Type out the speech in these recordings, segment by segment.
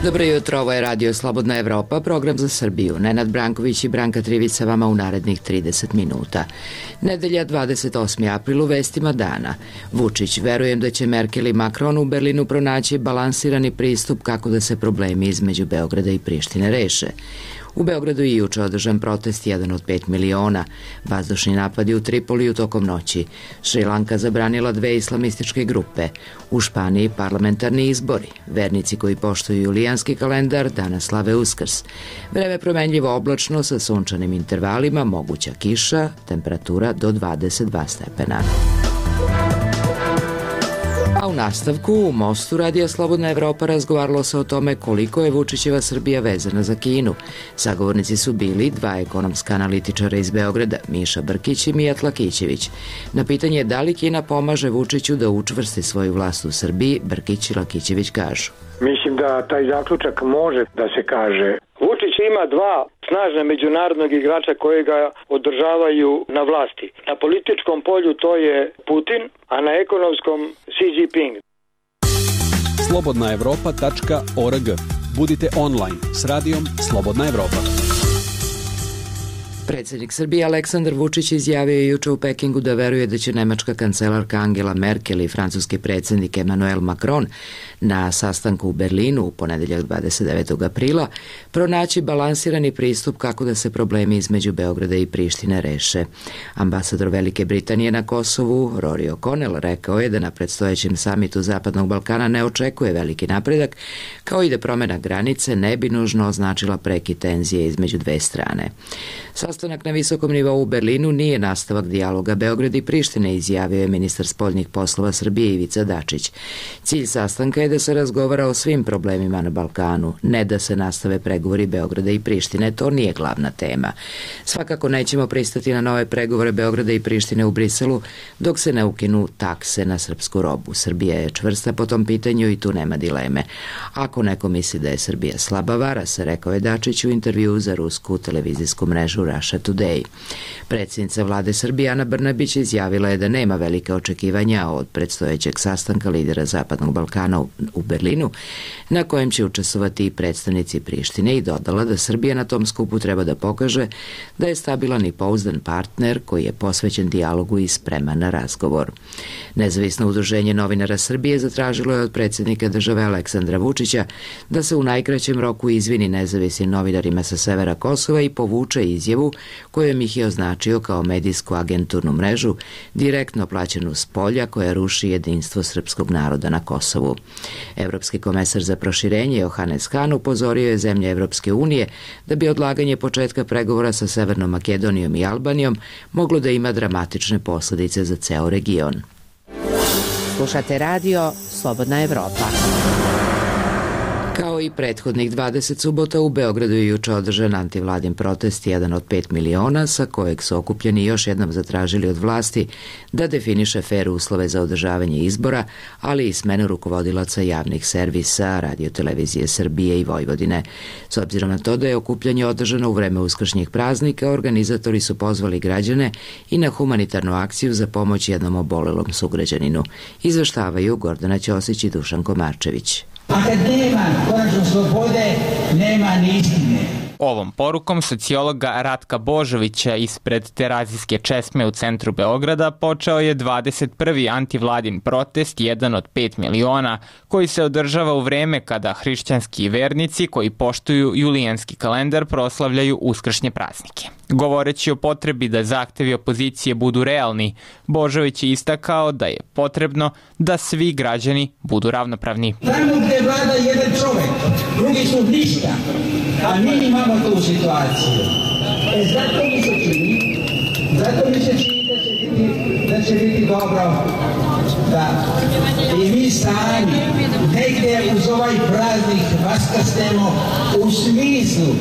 Dobro jutro, ovo je Radio Slobodna Evropa, program za Srbiju. Nenad Branković i Branka Trivić sa vama u narednih 30 minuta. Nedelja 28. april u vestima dana. Vučić, verujem da će Merkel i Macron u Berlinu pronaći balansirani pristup kako da se problemi između Beograda i Prištine reše. U Beogradu je juče održan protest 1 od 5 miliona. Vazdušni napadi u Tripoliju tokom noći. Šrilanka zabranila 2 islamističke grupe. U Španiji parlamentarni izbori. Vernici koji poštuju julijanski kalendar danas slave Uskrs. Vreme promenljivo oblačno sa sunčanim intervalima, moguća kiša, temperatura do 22 stepena. A u nastavku u Mostu Radio Slobodna Evropa razgovaralo se o tome koliko je Vučićeva Srbija vezana za Kinu. Sagovornici su bili 2 ekonomska analitičara iz Beograda, Miša Brkić i Mijat Lakićević. Na pitanje da li Kina pomaže Vučiću da učvrsti svoju vlast u Srbiji, Brkić i Lakićević kažu. Mislim da taj zaključak može da se kaže. Vučić ima 2 snažna međunarodnog igrača koji ga održavaju na vlasti. Na političkom polju to je Putin, a na ekonomskom Xi Jinping. Slobodnaevropa.org. Budite online s radijom Slobodna Evropa. Predsjednik Srbije Aleksandar Vučić izjavio je juče u Pekingu da veruje da će nemačka kancelarka Angela Merkel i francuski predsjednik Emmanuel Macron na sastanku u Berlinu u ponedeljak 29. aprila pronaći balansirani pristup kako da se problemi između Beograda i Prištine reše. Ambasador Velike Britanije na Kosovu, Rory O'Connell, rekao je da na predstojećem samitu Zapadnog Balkana ne očekuje veliki napredak, kao i da promjena granice ne bi nužno označila prekid tenzije između 2 strane. Sastanak na visokom nivou u Berlinu nije nastavak dijaloga Beograd i Prištine, izjavio je ministar spoljnih poslova Srbije Ivica Dačić. Cilj sastanka je da se razgovara o svim problemima na Balkanu, ne da se nastave pregovori Beograda i Prištine, to nije glavna tema. Svakako nećemo pristati na nove pregovore Beograda i Prištine u Briselu dok se ne ukinu takse na srpsku robu. Srbija je čvrsta po tom pitanju i tu nema dileme. Ako neko misli da je Srbija slaba, vara se, rekao je Dačić u intervjuu za rusku televizijsku mrežu Russia Today. Predsjednica vlade Srbije Ana Brnabić izjavila je da nema velike očekivanja od predstojećeg sastanka lidera Zapadnog Balkana u Berlinu, na kojem će učestvovati i predstavnici Prištine, i dodala da Srbija na tom skupu treba da pokaže da je stabilan i pouzdan partner koji je posvećen dijalogu i spreman na razgovor. Nezavisno udruženje novinara Srbije zatražilo je od predsjednika države Aleksandra Vučića da se u najkraćem roku izvini nezavisnim novinarima sa severa Kosova i povuče izjavu kojom ih je označio kao medijsku agenturnu mrežu direktno plaćenu s polja koja ruši jedinstvo srpskog naroda na Kosovu. Evropski komesar za proširenje Johannes Hahn upozorio je zemlje Evropske unije da bi odlaganje početka pregovora sa Severnom Makedonijom i Albanijom moglo da ima dramatične posljedice za ceo region. Slušate radio Slobodna Evropa. Kao i prethodnih 20 subota, u Beogradu je juče održan antivladin protest 1 od 5 miliona, sa kojeg su okupljeni još jednom zatražili od vlasti da definiše fer uslove za održavanje izbora, ali i smenu rukovodilaca javnih servisa, Radio-televizije Srbije i Vojvodine. S obzirom na to da je okupljanje održano u vreme uskršnjih praznika, organizatori su pozvali građane i na humanitarnu akciju za pomoć jednom obolelom sugrađaninu. Izveštavaju Gordana Ćosić i Dušan Komarčević. A kad nema konačno slobode, nema ni istine. Ovom porukom sociologa Ratka Božovića ispred Terazijske česme u centru Beograda počeo je 21. antivladin protest 1 od 5 miliona koji se održava u vreme kada hrišćanski vernici koji poštuju julijanski kalendar proslavljaju uskršnje praznike. Govoreći o potrebi da zahtevi opozicije budu realni, Božović je istakao da je potrebno da svi građani budu ravnopravni. Tamo gde vlada jedan čovek, drugi su ništa, a mi imamo tu situaciju. Zato mi se čini da će biti dobro da i mi sami negdje uz ovaj praznik vaskrsnemo u smislu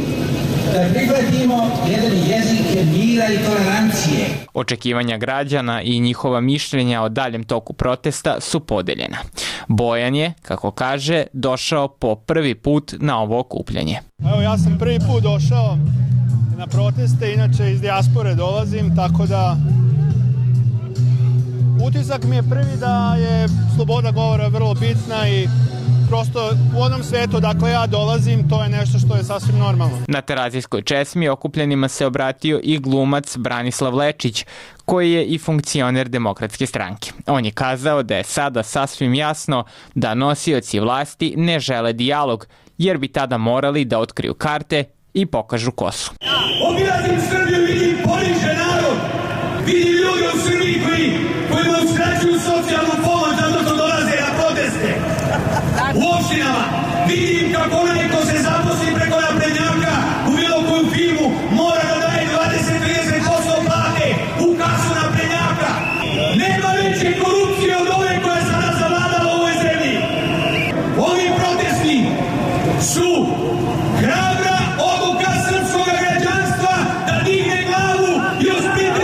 da prihvatimo jedan jezik mira i tolerancije. Očekivanja građana i njihova mišljenja o daljem toku protesta su podeljena. Bojan je, kako kaže, došao po prvi put na ovo okupljanje. Evo, ja sam prvi put došao na proteste, inače iz dijaspore dolazim, tako da utisak mi je prvi da je sloboda govora vrlo bitna i prosto u onom svetu odakle ja dolazim, to je nešto što je sasvim normalno. Na Terazijskoj česmi okupljenima se obratio i glumac Branislav Lečić, koji je i funkcioner Demokratske stranke. On je kazao da je sada sasvim jasno da nosioci vlasti ne žele dijalog, jer bi tada morali da otkriju karte i pokažu ko su. Obilazim Srbiju, vidim ponižen narod, vidim ljude u Srbiji kojima uskraćuju socijalnu pomoć zato što dolaze na proteste. U opštinama vidim kako onaj ko se zaposli preko naprednjaka u bilo koju firmu mora da daje 20-30% plate u kasu naprednjaka. Nema veće korupcije od ove koja je sada zavladala u ovoj zemlji. Ovi protesti su hrabra odluka srpskog građanstva da digne glavu i uspodi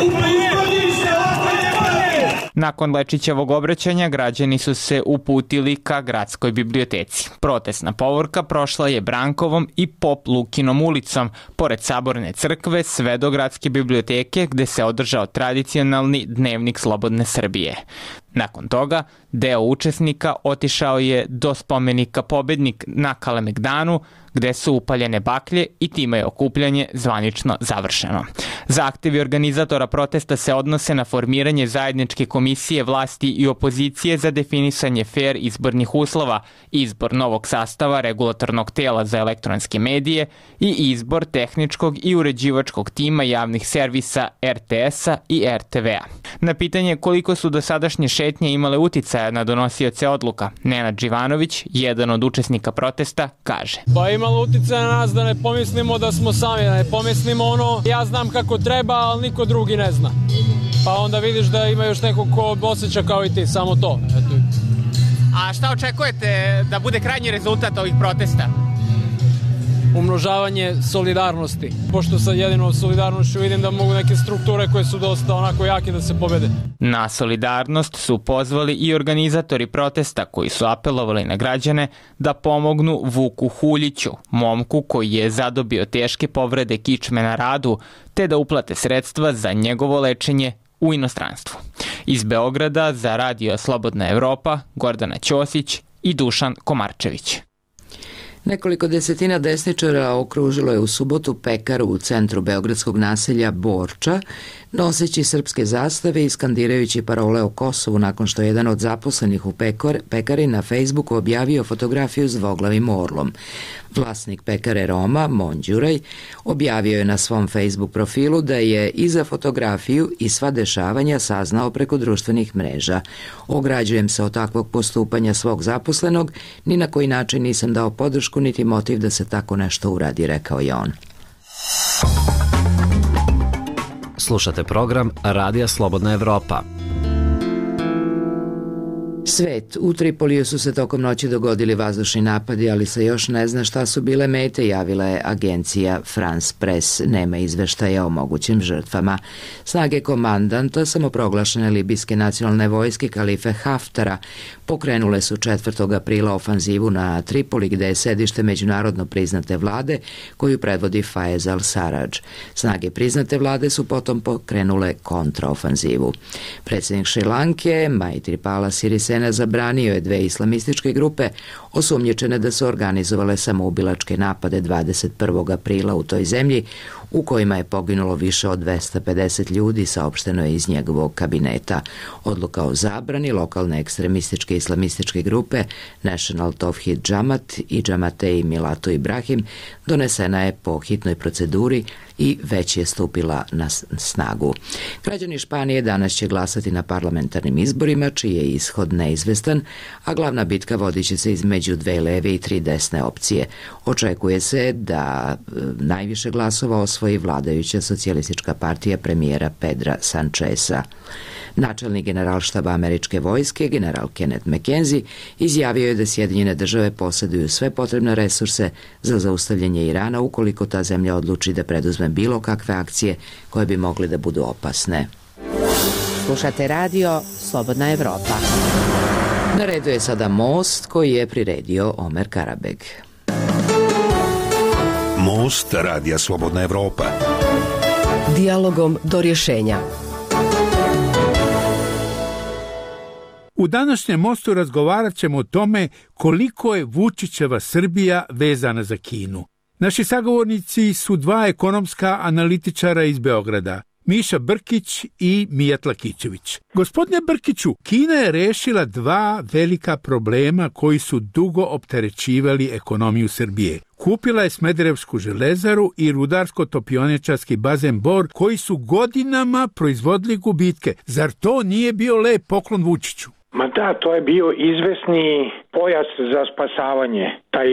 se ovakve nepravde. Nakon Lečićevog obraćanja, građani su se uputili ka gradskoj biblioteci. Protestna povorka prošla je Brankovom i Pop Lukinom ulicom, pored Saborne crkve, sve do gradske biblioteke gde se održao tradicionalni Dnevnik Slobodne Srbije. Nakon toga, deo učesnika otišao je do spomenika Pobednik na Kalemegdanu, gde su upaljene baklje i time je okupljanje zvanično završeno. Zahtevi organizatora protesta se odnose na formiranje zajedničke komisije vlasti i opozicije za definisanje fer izbornih uslova, izbor novog sastava regulatornog tela za elektronske medije i izbor tehničkog i uređivačkog tima javnih servisa RTS-a i RTV-a. Na pitanje koliko su dosadašnje šetnje imale uticaja na donosioce odluka, Nenad Živanović, jedan od učesnika protesta, kaže: Pa imalo uticaja na nas da ne pomislimo da smo sami, da ne pomislimo ono ja znam kako treba, ali niko drugi ne zna. Pa onda vidiš da ima još neko ko osjeća kao i ti, samo to. Eto. A šta očekujete da bude krajnji rezultat ovih protesta? Umnožavanje solidarnosti. Pošto sa jedinom solidarnošću vidim da mogu neke strukture koje su dosta onako jake da se pobede. Na solidarnost su pozvali i organizatori protesta koji su apelovali na građane da pomognu Vuku Huljiću, momku koji je zadobio teške povrede kičme na radu, te da uplate sredstva za njegovo lečenje u inostranstvu. Iz Beograda za Radio Slobodna Evropa, Gordana Ćosić i Dušan Komarčević. Nekoliko desetina desničara okružilo je u subotu pekaru u centru beogradskog naselja Borča, noseći srpske zastave i skandirajući parole o Kosovu nakon što je jedan od zaposlenih u pekari na Facebooku objavio fotografiju s dvoglavim orlom. Vlasnik pekare Roma, Monđuraj, objavio je na svom Facebook profilu da je i za fotografiju i sva dešavanja saznao preko društvenih mreža. Ograđujem se od takvog postupanja svog zaposlenog, ni na koji način nisam dao podršku niti motiv da se tako nešto uradi, rekao je on. Slušate program Radija Slobodna Evropa. Svet. U Tripoliju su se tokom noći dogodili vazdušni napadi, ali se još ne zna šta su bile mete, javila je agencija France Press. Nema izveštaja o mogućim žrtvama. Snage komandanta samoproglašene libijske nacionalne vojske Kalife Haftara pokrenule su 4. aprila ofanzivu na Tripoli, gde je sedište međunarodno priznate vlade koju predvodi Fayez al-Sarraj. Snage priznate vlade su potom pokrenule kontraofanzivu. Predsjednik Šrilanke, Maithripala Sirisena, zabranio je dve islamističke grupe osumnjičene da su organizovale samoubilačke napade 21. aprila u toj zemlji, u kojima je poginulo više od 250 ljudi, saopšteno je iz njegovog kabineta. Odluka o zabrani lokalne ekstremističke islamističke grupe National Tawhid Jamaat i Jamaat-e Milatu Ibrahim donesena je po hitnoj proceduri i već je stupila na snagu. Građani Španije danas će glasati na parlamentarnim izborima, čiji je ishod neizvestan, a glavna bitka vodit će se između dve leve i tri desne opcije. Očekuje se da najviše glasova osvoji vladajuća socijalistička partija premijera Pedra Sancheza. Načelnik generalštaba američke vojske, general Kenneth McKenzie, izjavio je da Sjedinjene države posjeduju sve potrebne resurse za zaustavljanje Irana ukoliko ta zemlja odluči da preduzme bilo kakve akcije koje bi mogli da budu opasne. Slušate radio Slobodna Evropa. Na redu je sada Most koji je priredio Omer Karabeg. Most Radija Slobodna Evropa. Dijalogom do rješenja. U današnjem mostu razgovarat ćemo o tome koliko je Vučićeva Srbija vezana za Kinu. Naši sagovornici su dva ekonomska analitičara iz Beograda, Miša Brkić i Mijat Lakićević. Gospodine Brkiću, Kina je rešila dva velika problema koji su dugo opterećivali ekonomiju Srbije. Kupila je Smederevsku železaru i rudarsko-topioničarski bazen Bor, koji su godinama proizvodili gubitke. Zar to nije bio lep poklon Vučiću? Ma da, to je bio izvesni pojas za spasavanje. Taj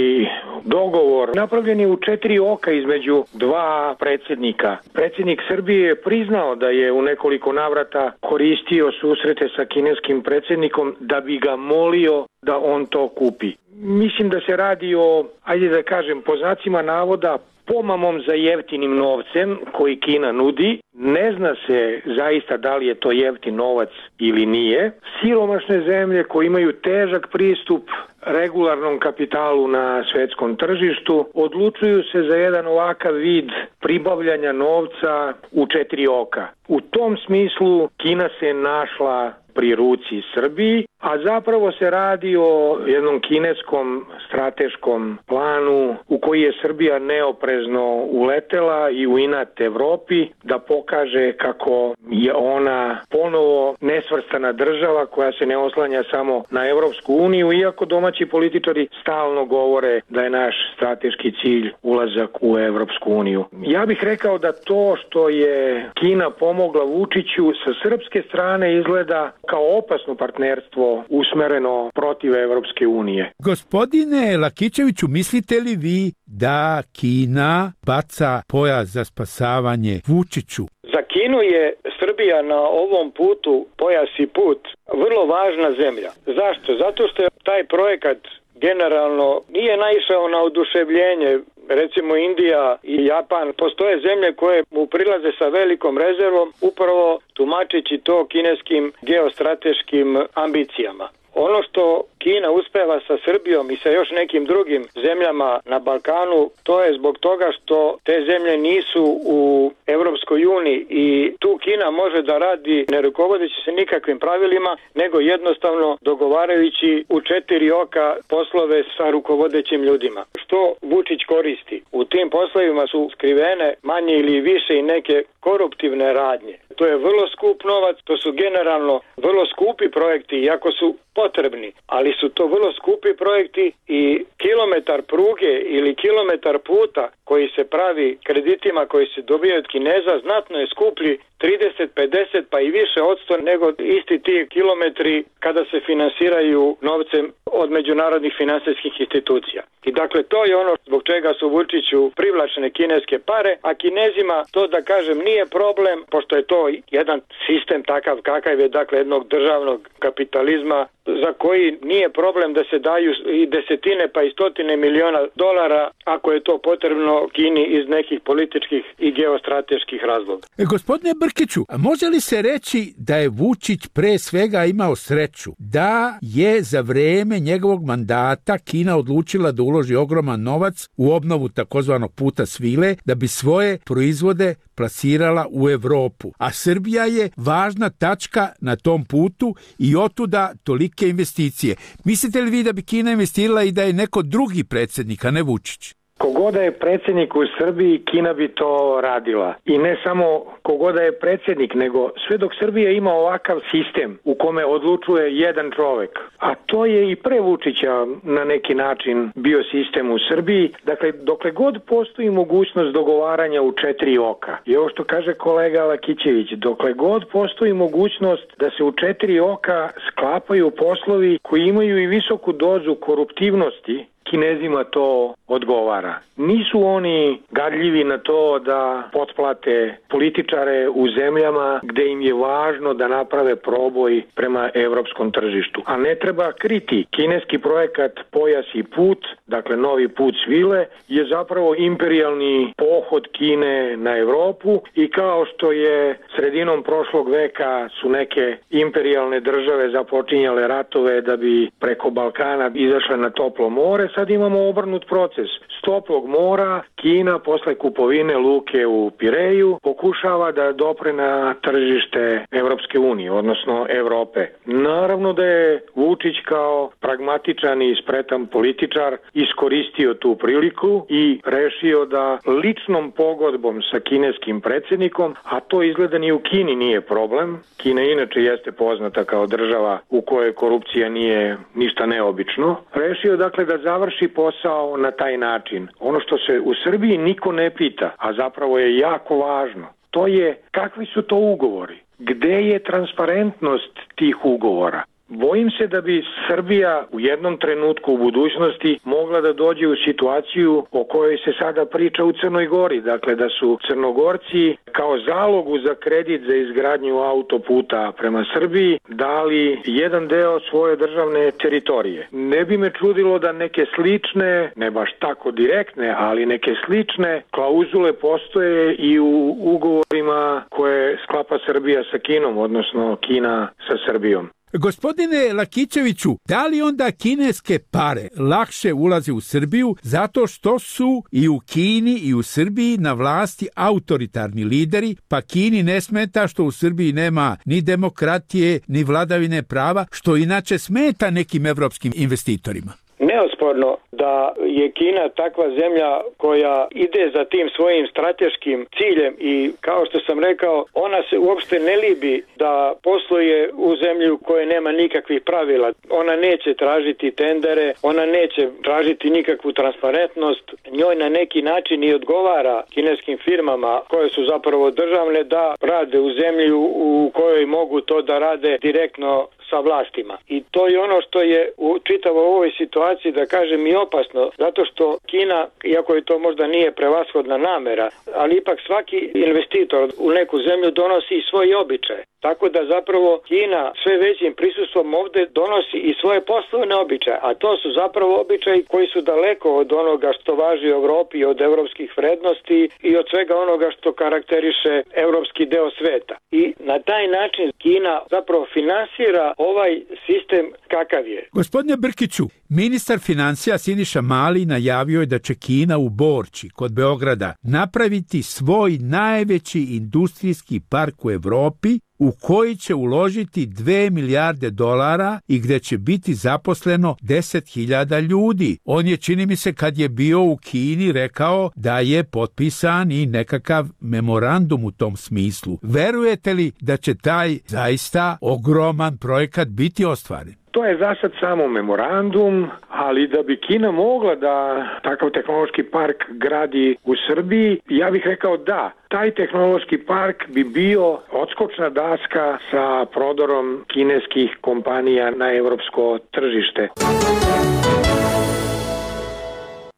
dogovor napravljen je u 4 oka između dva predsjednika. Predsjednik Srbije je priznao da je u nekoliko navrata koristio susrete sa kineskim predsjednikom da bi ga molio da on to kupi. Mislim da se radi o, ajde da kažem, po znacima navoda, pomamom za jeftinim novcem koji Kina nudi. Ne zna se zaista da li je to jeftin novac ili nije. Siromašne zemlje koje imaju težak pristup regularnom kapitalu na svetskom tržištu odlučuju se za jedan ovakav vid pribavljanja novca u 4 oka. U tom smislu Kina se našla pri ruci Srbiji, a zapravo se radi o jednom kineskom strateškom planu u koji je Srbija neoprezno uletela i u inat Evropi da pokaže kako je ona ponovo nesvrstana država koja se ne oslanja samo na Evropsku uniju, iako domaći političari stalno govore da je naš strateški cilj ulazak u Evropsku uniju. Ja bih rekao da to što je Kina pomogla Vučiću sa srpske strane izgleda kao opasno partnerstvo usmereno protiv Evropske unije. Gospodine Lakićeviću, mislite li vi da Kina baca pojas za spasavanje Vučiću? Za Kinu je Srbija na ovom putu, pojas i put, vrlo važna zemlja. Zašto? Zato što je taj projekat generalno nije naišao na oduševljenje. Recimo Indija i Japan, postoje zemlje koje mu prilaze sa velikom rezervom, upravo tumačeći to kineskim geostrateškim ambicijama. Ono što Kina uspeva sa Srbijom i sa još nekim drugim zemljama na Balkanu, to je zbog toga što te zemlje nisu u Evropskoj uniji i tu Kina može da radi ne rukovodeći se nikakvim pravilima, nego jednostavno dogovarajući u 4 oka poslove sa rukovodećim ljudima. Što Vučić koristi? U tim poslovima su skrivene manje ili više i neke koruptivne radnje. To je vrlo skup novac, to su generalno vrlo skupi projekti, iako su potrebni, ali su to vrlo skupi projekti i kilometar pruge ili kilometar puta koji se pravi kreditima koji se dobijaju od Kineza znatno je skuplji 30, 50 pa i više odsto nego isti ti kilometri kada se finansiraju novcem od međunarodnih finansijskih institucija. I dakle to je ono zbog čega su Vučiću privlačne kineske pare, a Kinezima to da kažem nije problem, pošto je to jedan sistem takav kakav je, dakle jednog državnog kapitalizma za koji nije problem da se daju i desetine pa i stotine miliona dolara ako je to potrebno Kini iz nekih političkih i geostrateških razloga. Gospodine Brkiću, a može li se reći da je Vučić pre svega imao sreću da je za vreme njegovog mandata Kina odlučila da uloži ogroman novac u obnovu takozvanog puta svile da bi svoje proizvode plasirala u Evropu, a Srbija je važna tačka na tom putu i otuda tolike investicije. Mislite li vi da bi Kina investirala i da je neko drugi predsjednik, a ne Vučić? Kogoda je predsjednik u Srbiji, Kina bi to radila. I ne samo kogoda je predsjednik, nego sve dok Srbija ima ovakav sistem u kome odlučuje jedan čovek, a to je i pre Vučića na neki način bio sistem u Srbiji, dakle dokle god postoji mogućnost dogovaranja u 4 oka, i ovo što kaže kolega Lakićević, dokle god postoji mogućnost da se u 4 oka sklapaju poslovi koji imaju i visoku dozu koruptivnosti, Kinezima to odgovara. Nisu oni gadljivi na to da potplate političare u zemljama gde im je važno da naprave proboj prema evropskom tržištu. A ne treba kriti. Kineski projekat Pojas i put, dakle novi put svile, je zapravo imperijalni pohod Kine na Evropu i kao što je sredinom prošlog veka su neke imperijalne države započinjale ratove da bi preko Balkana izašle na toplo more, sad imamo obrnut proces. S toplog mora Kina posle kupovine luke u Pireju pokušava da dopre na tržište Evropske unije, odnosno Evrope. Naravno da je Vučić kao pragmatičan i spretan političar iskoristio tu priliku i rešio da ličnom pogodbom sa kineskim predsjednikom, a to izgleda ni u Kini nije problem. Kina inače jeste poznata kao država u kojoj korupcija nije ništa neobično. Rešio dakle da završi posao na taj način. Ono što se u Srbiji niko ne pita, a zapravo je jako važno, to je kakvi su to ugovori, gde je transparentnost tih ugovora. Bojim se da bi Srbija u jednom trenutku u budućnosti mogla da dođe u situaciju o kojoj se sada priča u Crnoj Gori, dakle da su Crnogorci kao zalogu za kredit za izgradnju autoputa prema Srbiji dali jedan deo svoje državne teritorije. Ne bi me čudilo da neke slične, ne baš tako direktne, ali neke slične klauzule postoje i u ugovorima koje sklapa Srbija sa Kinom, odnosno Kina sa Srbijom. Gospodine Lakićeviću, da li onda kineske pare lakše ulaze u Srbiju zato što su i u Kini i u Srbiji na vlasti autoritarni lideri, pa Kini ne smeta što u Srbiji nema ni demokratije, ni vladavine prava, što inače smeta nekim evropskim investitorima? Neosporno da je Kina takva zemlja koja ide za tim svojim strateškim ciljem i kao što sam rekao, ona se uopšte ne libi da posluje u zemlju koje nema nikakvih pravila. Ona neće tražiti tendere, ona neće tražiti nikakvu transparentnost. Njoj na neki način i odgovara kineskim firmama koje su zapravo državne da rade u zemlji u kojoj mogu to da rade direktno sa vlastima. I to je ono što je u čitavoj ovoj situaciji, da kažem, i opasno, zato što Kina, iako je to možda nije prevashodna namera, ali ipak svaki investitor u neku zemlju donosi i svoj običaj. Tako da zapravo Kina sve većim prisustvom ovde donosi i svoje poslovne običaje, a to su zapravo običaji koji su daleko od onoga što važi u Evropi, od evropskih vrednosti i od svega onoga što karakteriše evropski deo sveta. I na taj način Kina zapravo finansira ovaj sistem kakav je. Gospodine Brkiću, ministar financija Siniša Mali najavio je da će Kina u Borči kod Beograda napraviti svoj najveći industrijski park u Evropi u koji će uložiti 2 milijarde dolara i gde će biti zaposleno 10.000 ljudi. On je, čini mi se, kad je bio u Kini rekao da je potpisan i nekakav memorandum u tom smislu. Verujete li da će taj zaista ogroman projekat biti ostvaren? To je za sad samo memorandum, ali da bi Kina mogla da takav tehnološki park gradi u Srbiji, ja bih rekao da. Taj tehnološki park bi bio odskočna daska sa prodorom kineskih kompanija na evropsko tržište.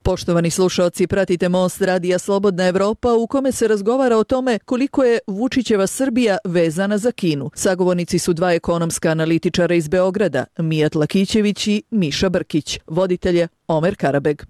Poštovani slušaoci, pratite Most Radija Slobodna Evropa u kome se razgovara o tome koliko je Vučićeva Srbija vezana za Kinu. Sagovornici su dva ekonomska analitičara iz Beograda, Mijat Lakićević i Miša Brkić. Voditelj je Omer Karabeg.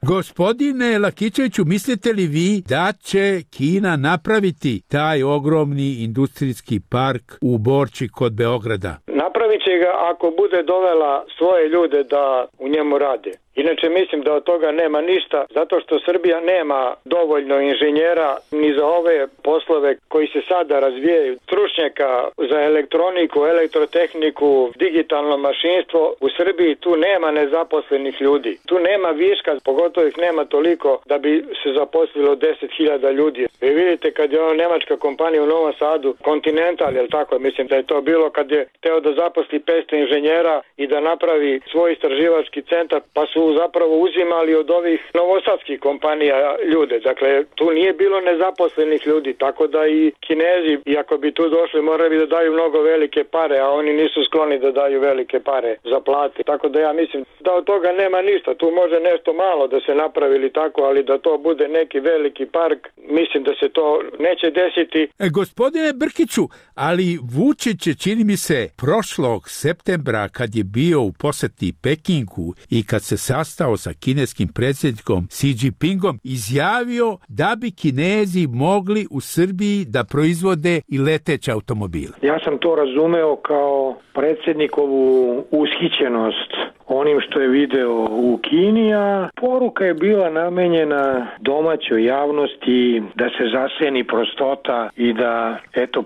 Gospodine Lakićeviću, mislite li vi da će Kina napraviti taj ogromni industrijski park u Borči kod Beograda? Napravit će ga ako bude dovela svoje ljude da u njemu rade. Inače mislim da od toga nema ništa, zato što Srbija nema dovoljno inženjera ni za ove poslove koji se sada razvijaju. Stručnjaka za elektroniku, elektrotehniku, digitalno mašinstvo. U Srbiji tu nema nezaposlenih ljudi. Tu nema viška, pogotovo ih nema toliko da bi se zaposlilo 10.000 ljudi. Vi vidite kad je ona nemačka kompanija u Novom Sadu, Continental, je li tako? Mislim da je to bilo kad je teo da zaposli 500 inženjera i da napravi svoj istraživački centar, pa su zapravo uzimali od ovih novosadskih kompanija ljude. Dakle, tu nije bilo nezaposlenih ljudi, tako da i Kinezi, iako bi tu došli, morali da daju mnogo velike pare, a oni nisu skloni da daju velike pare za plate. Tako da ja mislim da od toga nema ništa. Tu može nešto malo da se napravi ili tako, ali da to bude neki veliki park, mislim da se to neće desiti. Gospodine Brkiću, ali Vučić je, čini mi se, prošlog septembra kad je bio u poseti Pekingu i kad se sastao sa kineskim predsjednikom Xi Jinpingom, izjavio da bi Kinezi mogli u Srbiji da proizvode i leteće automobile. Ja sam to razumeo kao predsjednikovu ushićenost onim što je video u Kini, a poruka je bila namenjena domaćoj javnosti da se zaseni prostota i da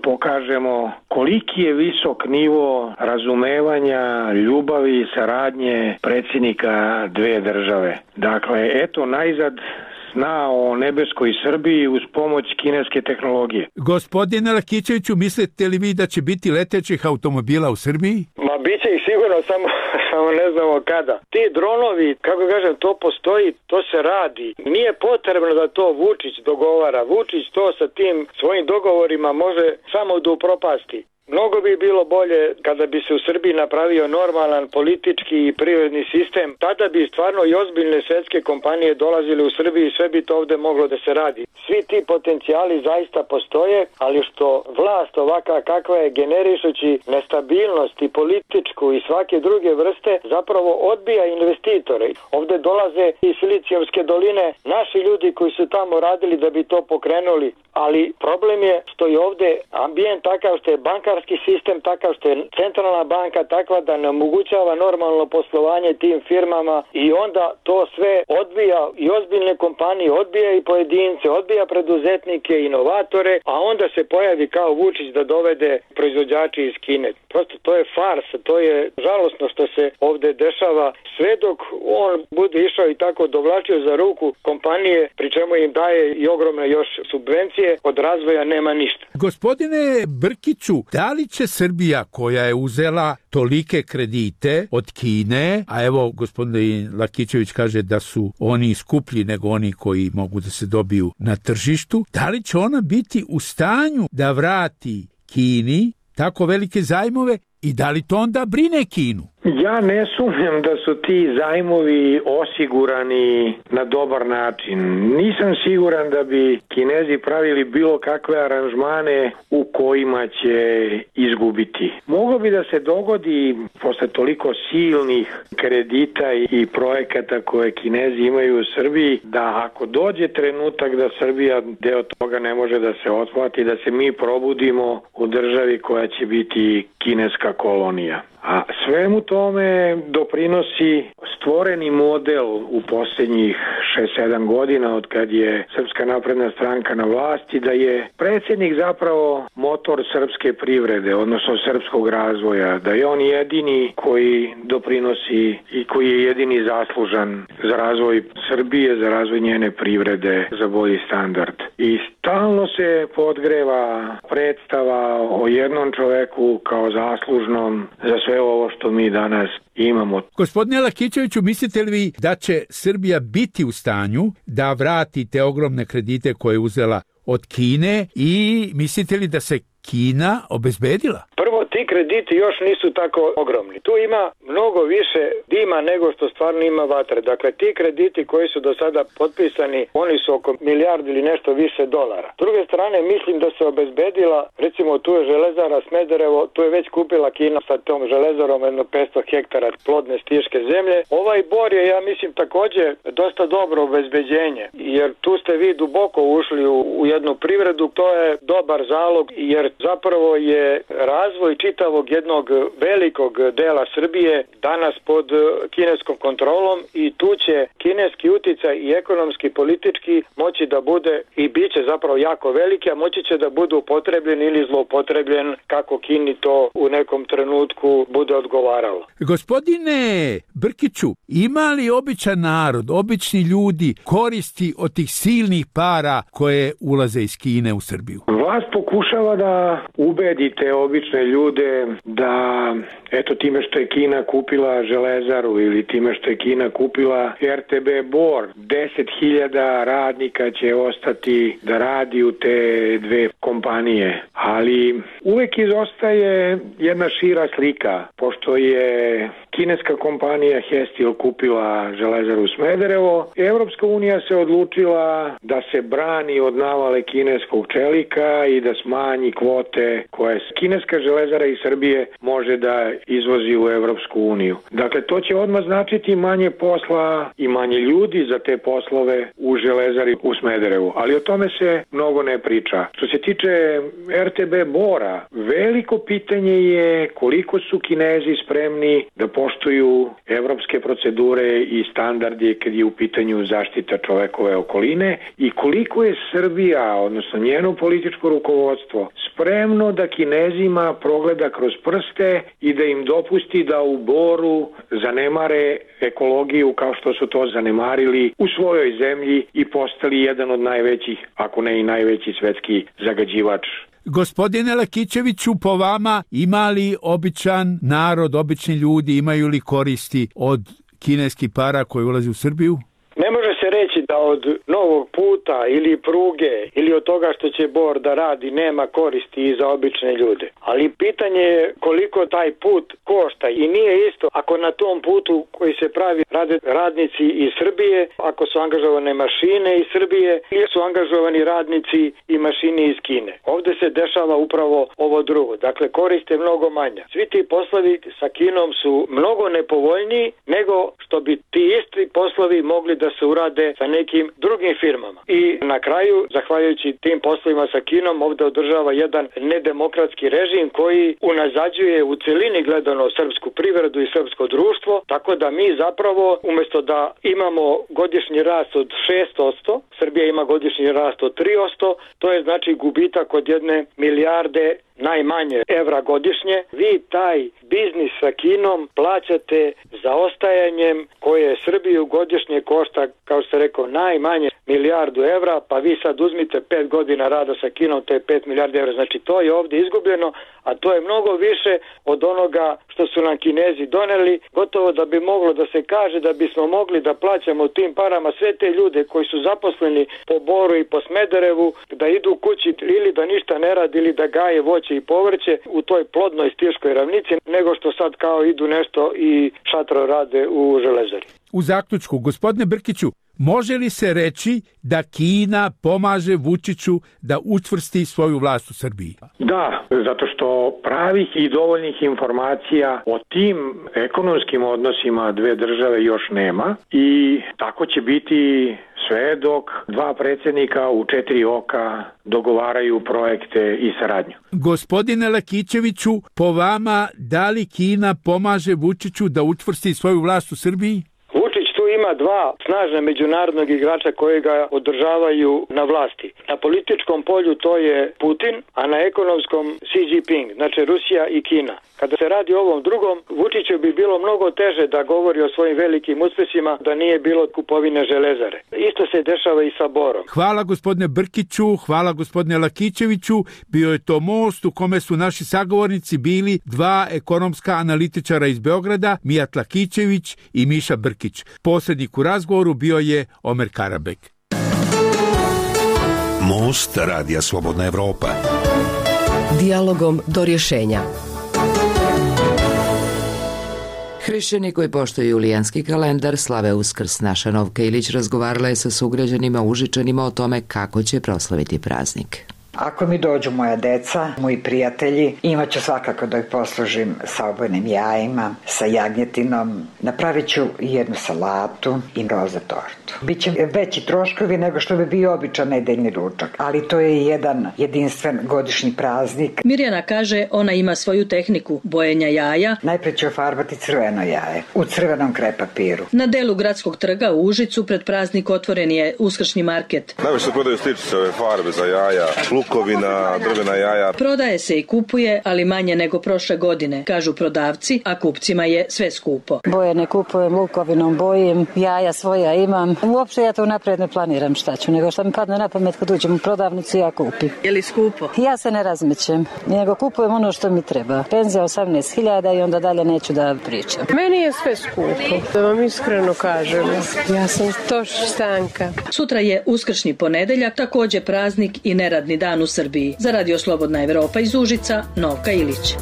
pokažemo koliki je visok nivo razumevanja, ljubavi i saradnje predsjednika dve države. Dakle, najzad sna o nebeskoj Srbiji uz pomoć kineske tehnologije. Gospodine Lakićeviću, mislite li vi da će biti letećih automobila u Srbiji? Ma biće ih sigurno, samo ne znamo kada. Ti dronovi, kako kažem, to postoji, to se radi. Nije potrebno da to Vučić dogovara. Vučić to sa tim svojim dogovorima može samo da upropasti. Mnogo bi bilo bolje kada bi se u Srbiji napravio normalan politički i privredni sistem, tada bi stvarno i ozbiljne svetske kompanije dolazile u Srbiji i sve bi to ovde moglo da se radi. Svi ti potencijali zaista postoje, ali što vlast ovakva kakva je, generišući nestabilnost i političku i svake druge vrste, zapravo odbija investitore. Ovde dolaze iz Silicijumske doline naši ljudi koji su tamo radili da bi to pokrenuli, ali problem je što je ovde ambijent takav, što je bankarski sistem takav, što je centralna banka takva da ne omogućava normalno poslovanje tim firmama i onda to sve odbija i ozbiljne kompanije, odbija i pojedince, odbija preduzetnike, inovatore, a onda se pojavi kao Vučić da dovede proizvođači iz Kine. Prosto to je farsa, to je žalosno što se ovde dešava, sve dok on bude išao i tako dovlačio za ruku kompanije, pri čemu im daje i ogromne još subvencije, od razvoja nema ništa. Gospodine Brkiću, da li će Srbija, koja je uzela tolike kredite od Kine, a evo gospodin Lakićević kaže da su oni skuplji nego oni koji mogu da se dobiju na tržištu, da li će ona biti u stanju da vrati Kini tako velike zajmove i da li to onda brine Kinu? Ja ne sumnjam da su ti zajmovi osigurani na dobar način. Nisam siguran da bi Kinezi pravili bilo kakve aranžmane u kojima će izgubiti. Moglo bi da se dogodi posle toliko silnih kredita i projekata koje Kinezi imaju u Srbiji, da ako dođe trenutak da Srbija deo toga ne može da se otplati, da se mi probudimo u državi koja će biti kineska kolonija. A svemu tome doprinosi stvoreni model u posljednjih 6-7 godina od kad je Srpska napredna stranka na vlasti, da je predsjednik zapravo motor srpske privrede, odnosno srpskog razvoja, da je on jedini koji doprinosi i koji je jedini zaslužan za razvoj Srbije, za razvoj njene privrede, za bolji standard. I stalno se podgreva predstava o jednom čoveku kao zaslužnom za sve ovo što mi danas imamo. Gospodine Lakićeviću, mislite li vi da će Srbija biti u stanju da vrati te ogromne kredite koje je uzela od Kine i mislite li da se Kina obezbedila? Prvo, ti krediti još nisu tako ogromni. Tu ima mnogo više dima nego što stvarno ima vatre. Dakle, ti krediti koji su do sada potpisani, oni su oko milijardu ili nešto više dolara. S druge strane, mislim da se obezbedila, recimo tu je železara Smederevo, tu je već kupila Kina sa tom železarom jedno 500 hektara plodne stiške zemlje. Ovaj Bor je, ja mislim, takođe dosta dobro obezbeđenje, jer tu ste vi duboko ušli u jednu privredu, to je dobar zalog, jer zapravo je razvoj čitavog jednog velikog dela Srbije danas pod kineskom kontrolom i tu će kineski uticaj i ekonomski, politički moći da bude i bit će zapravo jako veliki, a moći će da bude upotrebljen ili zloupotrebljen kako Kini to u nekom trenutku bude odgovaralo. Gospodine Brkiću, ima li običan narod, obični ljudi koristi od tih silnih para koje ulaze iz Kine u Srbiju? Vlast pokušava da ubedi te obične ljude da time što je Kina kupila železaru ili time što je Kina kupila RTB Bor, 10.000 radnika će ostati da radi u te dve kompanije. Ali uvek izostaje jedna šira slika, pošto je kineska kompanija Hestil kupila železaru Smederevo, Evropska unija se odlučila da se brani od navale kineskog čelika i da smanji kvote koje kineska železara iz Srbije može da izvozi u Evropsku uniju. Dakle, to će odmah značiti manje posla i manje ljudi za te poslove u Železari u Smederevu, ali o tome se mnogo ne priča. Što se tiče RTB Bora, veliko pitanje je koliko su Kinezi spremni da poštuju evropske procedure i standardi kad je u pitanju zaštita čovekove okoline i koliko je Srbija, odnosno njeno političko rukovodstvo, spremno da Kinezima progleda kroz prste i da im dopusti da u Boru zanemare ekologiju kao što su to zanemarili u svojoj zemlji i postali jedan od najvećih, ako ne i najveći svetski zagađivač. Gospodine Lakićeviću, po vama ima li običan narod, obični ljudi, imaju li koristi od kineskih para koje ulaze u Srbiju? Ne može se reći da od novog puta ili pruge ili od toga što će Bor da radi nema koristi i za obične ljude. Ali pitanje je koliko taj put košta i nije isto ako na tom putu koji se pravi rade radnici iz Srbije, ako su angažovane mašine iz Srbije ili su angažovani radnici i mašine iz Kine. Ovde se dešava upravo ovo drugo. Dakle, koriste mnogo manja. Svi ti poslovi sa Kinom su mnogo nepovoljniji nego što bi ti isti poslovi mogli da se urade sa nekim drugim firmama. I na kraju, zahvaljujući tim poslovima sa Kinom, ovde održava jedan nedemokratski režim koji unazađuje u celini gledano srpsku privredu i srpsko društvo, tako da mi zapravo, umesto da imamo godišnji rast od 6%, Srbija ima godišnji rast od 3%, to je znači gubitak od 1 milijarde najmanje evra godišnje. Vi taj biznis sa Kinom plaćate zaostajanjem koje Srbiju godišnje košta, kao što se rekao, najmanje milijardu evra, pa vi sad uzmite 5 godina rada sa Kinom, to je 5 milijardi evra. Znači to je ovdje izgubljeno, a to je mnogo više od onoga što su nam Kinezi doneli. Gotovo da bi moglo da se kaže da bismo mogli da plaćamo tim parama sve te ljude koji su zaposleni po Boru i po Smederevu, da idu kući ili da ništa ne radi ili da gaje voće i povrće u toj plodnoj Stiškoj ravnici, nego što sad kao idu nešto i šatro rade u Železari. U zaključku, gospodine Brkiću, može li se reći da Kina pomaže Vučiću da učvrsti svoju vlast u Srbiji? Da, zato što pravih i dovoljnih informacija o tim ekonomskim odnosima dve države još nema i tako će biti sve dok dva predsjednika u 4 oka dogovaraju projekte i saradnju. Gospodine Lakićeviću, po vama, da li Kina pomaže Vučiću da učvrsti svoju vlast u Srbiji? Ima dva snažna međunarodnog igrača koji ga održavaju na vlasti. Na političkom polju to je Putin, a na ekonomskom Xi Jinping, znači Rusija i Kina. Kada se radi o ovom drugom, Vučiću bi bilo mnogo teže da govori o svojim velikim uspesima da nije bilo kupovine Železare. Isto se dešava i sa Borom. Hvala gospodine Brkiću, hvala gospodine Lakićeviću. Bio je to most u kome su naši sagovornici bili dva ekonomska analitičara iz Beograda, Mijat Lakićević i Miša Brkić. Posrednik u razgovoru bio je Omer Karabek. Most Radija Slobodna Evropa. Dijalogom do rješenja. Hrišćani koji poštuju julijanski kalendar slave Uskrs. Naša Novka Ilić razgovarala je sa sugrađanima Užičanima o tome kako će proslaviti praznik. Ako mi dođu moja deca, moji prijatelji, imaću svakako da ih poslužim sa obojnim jajima, sa jagnjetinom, napravit ću jednu salatu i roze tortu. Biće veći troškovi nego što bi bio običan nedeljni ručak, ali to je jedan jedinstven godišnji praznik. Mirjana kaže ona ima svoju tehniku bojenja jaja. Najprije ću ofarbati crveno jaje u crvenom krep papiru. Na delu Gradskog trga u Užicu pred praznik otvoren je uskršnji market. Najviše se prodaju sličice, farbe za jaja, lukovina, drvena jaja. Prodaje se i kupuje, ali manje nego prošle godine, kažu prodavci, a kupcima je sve skupo. Boje ne kupujem, lukovinom bojim, jaja svoja imam. Uopšte ja to napred ne planiram šta ću, nego šta mi padne na pamet kad uđem u prodavnicu ja kupim. Je li skupo? Ja se ne razmećem, nego kupujem ono što mi treba. Penzija 18.000 i onda dalje neću da pričam. Meni je sve skupo, da vam iskreno kažem. Ja sam toš stanka. Sutra je uskršnji ponedeljak, također praznik i neradni dan u Srbiji. Za Radio Slobodna Evropa iz Užica, Novka Ilić.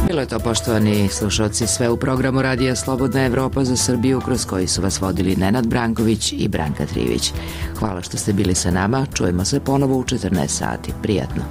Bilo je to, poštovani slušalci, sve u programu Radija Slobodna Evropa za Srbiju, kroz koji su vas vodili Nenad Branković i Branka Trivić. Hvala što ste bili sa nama, čujemo se ponovo u 14 sati. Prijatno.